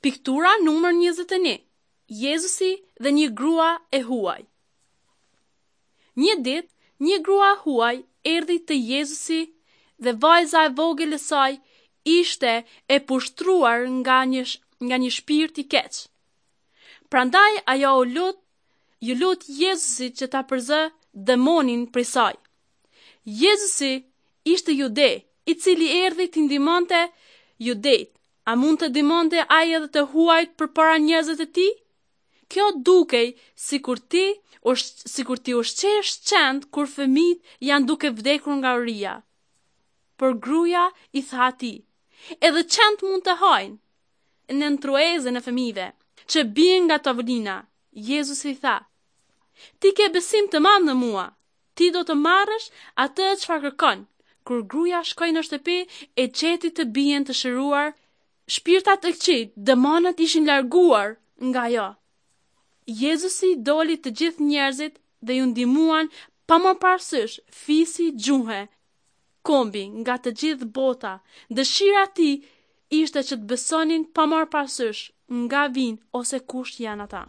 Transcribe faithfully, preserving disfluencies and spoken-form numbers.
Piktura numër njëzet e një. Jezusi dhe një grua e huaj. Një ditë, një grua e huaj erdhi te Jezusi dhe vajza e vogël e saj ishte e pushtruar nga një nga një shpirt i keq. Prandaj ajo u lut, ju lut Jezusit që ta përzë demonin prej saj. Jezusi ishte jude, i cili erdhi të ndihmonte judejt. A mund të ndihmonte ai edhe të huajt përpara njerëzve të tij? Kjo dukej sikur ti sikur ti ushqesh qentë kur fëmijët janë duke vdekur nga uria. Por gruaja i tha atij, edhe qentë mund të hajnë në tryezën e fëmijëve që bien nga tavolina. Jezusi i tha, ti ke besim të madh në mua, ti do të marrësh atë çfarë kërkon. Kur gruaja shkoi në shtëpi, e gjeti të bijën të shëruar, shpirtat e këqij, demonët ishin larguar nga ajo. Jezusi doli të gjithë njerëzit dhe ju ndihmuan pa marrë parasysh fisi, gjuhë, kombi nga të gjithë bota. Dëshira e tij ishte që të besonin pa marrë parasysh nga vijnë ose kush janë ata.